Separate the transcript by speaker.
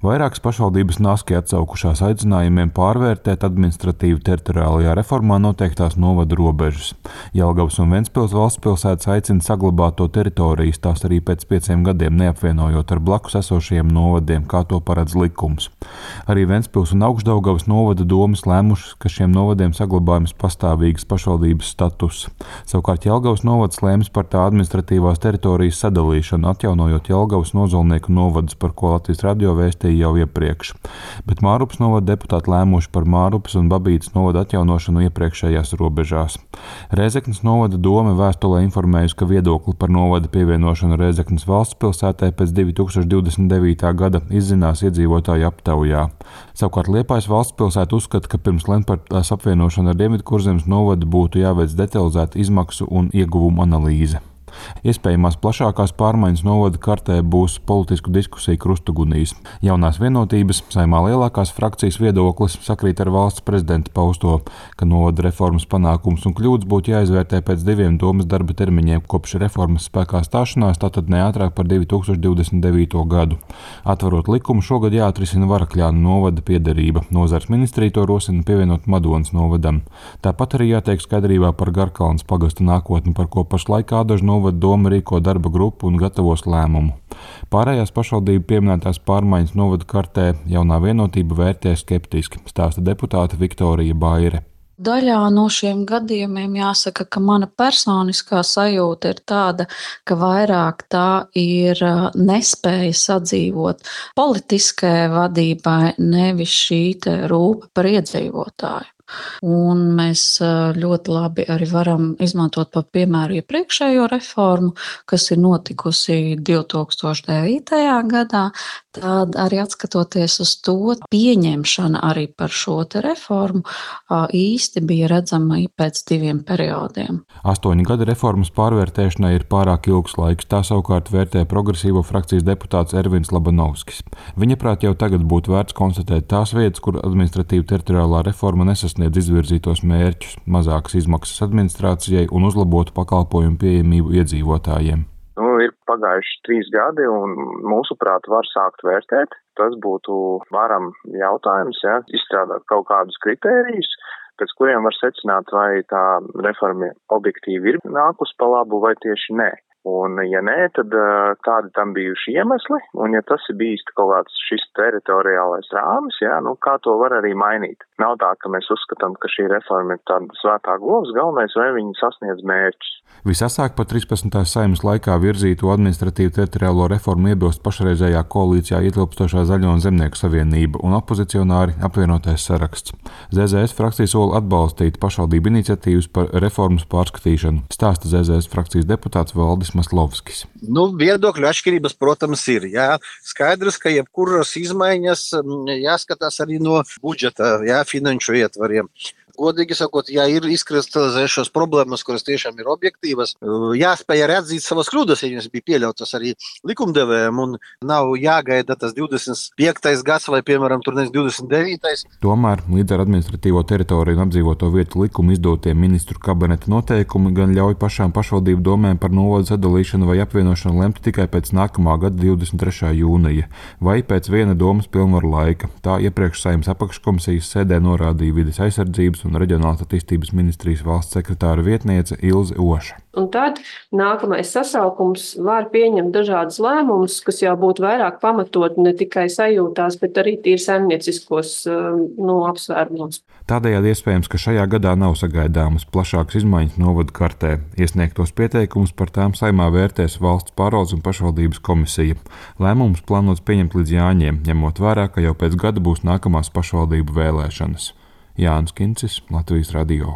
Speaker 1: Vairākas pašvaldības naski atsaukušās aicinājumiem pārvērtēt administratīvi teritoriālajā reformā noteiktās novadu robežas. Jelgavas un Ventspils valstspilsētas aicina saglabāt to teritorijas, tās arī pēc 5 gadiem neapvienojot ar blakus esošajiem novadiem, kā to paredz likums. Arī Ventspils un Augšdaugavas novada domes lēmušas, ka šiem novadiem saglabājums pastāvīgas pašvaldības status. Savukārt Jelgavas novads lēms par tā administratīvās teritorijas sadalīšanu, atjaunojot Jelgavas Nozolnieku novadus, par ko Latvijas radio vēstīja jau iepriekš, bet Mārupas novada deputāti lēmuši par Mārupas un Babītas novada atjaunošanu iepriekšējās robežās. Rēzeknes novada dome vēstulē informējusi, ka viedokli par novada pievienošanu Rēzeknes valstspilsētai pēc 2029. gada izzinās iedzīvotāju aptaujā. Savukārt Liepājas valstspilsēta uzskata, ka pirms lemt par tās apvienošanu ar Dienvidkurzemes novadu būtu jāveic detalizēta izmaksu un ieguvumu analīze. Iespējamās plašākās pārmaiņas novada kartē būs politisku diskusiju krustugunīs. Jaunās vienotības Saeimā lielākās frakcijas viedoklis sakrīt ar valsts prezidenta pausto, ka novada reformas panākums un kļūdas būtu jāizvērtē pēc 2 domas darba termiņiem kopš reformas spēkā stāšanās, tātad ne ātrāk par 2029. gadu. Atverot likumu, šogad jāatrisina Varakļānu novada piederība. Nozares ministrija to rosina pievienot Madonas novadam. Tāpat arī jātiek skaidrībā par Garkalnes pagasta nākotni, par ko pašlaik Ādažu novada doma rīko darba grupu un gatavos lēmumu. Pārējās pašvaldību pieminētās pārmaiņas novada kartē Jaunā vienotība vērtē skeptiski, stāsta deputāte Viktorija Baire.
Speaker 2: Daļā no šiem gadījumiem jāsaka, ka mana personiskā sajūta ir tāda, ka vairāk tā ir nespēja sadzīvot politiskajai vadībai, nevis šī rūpe par iedzīvotāju. Un mēs ļoti labi arī varam izmantot par piemēru iepriekšējo reformu, kas ir notikusi 2009. gadā. Tad arī atskatoties uz to, pieņemšana arī par šo reformu īsti bija redzama pēc 2 periodiem.
Speaker 1: 8 gadi reformas pārvērtēšanai ir pārāk ilgs laiks, tā savukārt vērtē progresīvo frakcijas deputāts Ervins Labanovskis. Viņaprāt jau tagad būtu vērts konstatēt tās vietas, kur administratīva teritoriālā reforma nesasniedz izvirzītos mērķus, mazākas izmaksas administrācijai un uzlabotu pakalpojumu pieejamību iedzīvotājiem.
Speaker 3: Ir pagājuši 3 gadi un mūsuprāt var sākt vērtēt. Tas būtu varam jautājums, izstrādāt kaut kādus kritērijus, pēc kuriem var secināt, vai tā reforma objektīvi ir nākus pa labu vai tieši nē. Un, ja nē, tad kādi tam bijuši iemesli, un ja tas ir bijis kaut kāds šis teritoriālais rāmis, kā to var arī mainīt. Nav tā, ka mēs uzskatām, ka šī reforma ir tāda svētā govs, galvenais, vai viņi sasniedz mērķus.
Speaker 1: Visasāk par 13. Saeimas laikā virzīto administratīvu teritoriālo reformu iebilst pašreizējā koalīcijā ietilpstošā Zaļo un Zemnieku savienība un opozicionāri apvienotais saraksts. ZZS frakcija sola atbalstīt pašvaldību iniciatīvas par reformas pārskatīšanu, stāsta ZZS frakcijas deputāts Valdis Maslovskis.
Speaker 4: Viedokļu atšķirības, protams, ir. Skaidrs, ka jebkuras izmaiņas jāskatās arī no budžeta, finanšu ietvariem. Godīgi sakot, ja ir izkristalizējušās problēmas, kuras tiešām ir objektīvas, jāspēj arī atzīt savas kļūdas, ja viņas bija pieļautas arī likumdevējiem, un nav jāgaida tas 25. gads vai, piemēram, 29.
Speaker 1: Tomēr līdz ar administratīvo teritoriju un apdzīvoto vietu likumu izdotie ministru kabineta noteikumi gan ļauj pašām pašvaldību domēm par novadu sadalīšanu vai apvienošanu lemt tikai pēc nākamā gada 23. jūnija vai pēc viena domas pilnvaru laika. Tā iepriekš Saeimas apakškomisijas sēdē norādīja vides aizsardzības un reģionālās attīstības ministrijas valsts sekretāra vietniece Ilze Oša.
Speaker 5: Un tad nākamais sasaukums var pieņemt dažādas lēmumus, kas jau būtu vairāk pamatot ne tikai sajūtās, bet arī tīri saimnieciskos apsvērumos.
Speaker 1: Tādējādi iespējams, ka šajā gadā nav sagaidāmas plašākas izmaiņas novadu kartē. Iesniegtos pieteikumus par tām Saeimā vērtēs valsts pārvaldes un pašvaldības komisija. Lēmumus plānots pieņemt līdz Jāņiem, ņemot vērā, ka jau pēc gada būs nākamās pašvaldību vēlēšanas. Jānis Kincis, Latvijas radio.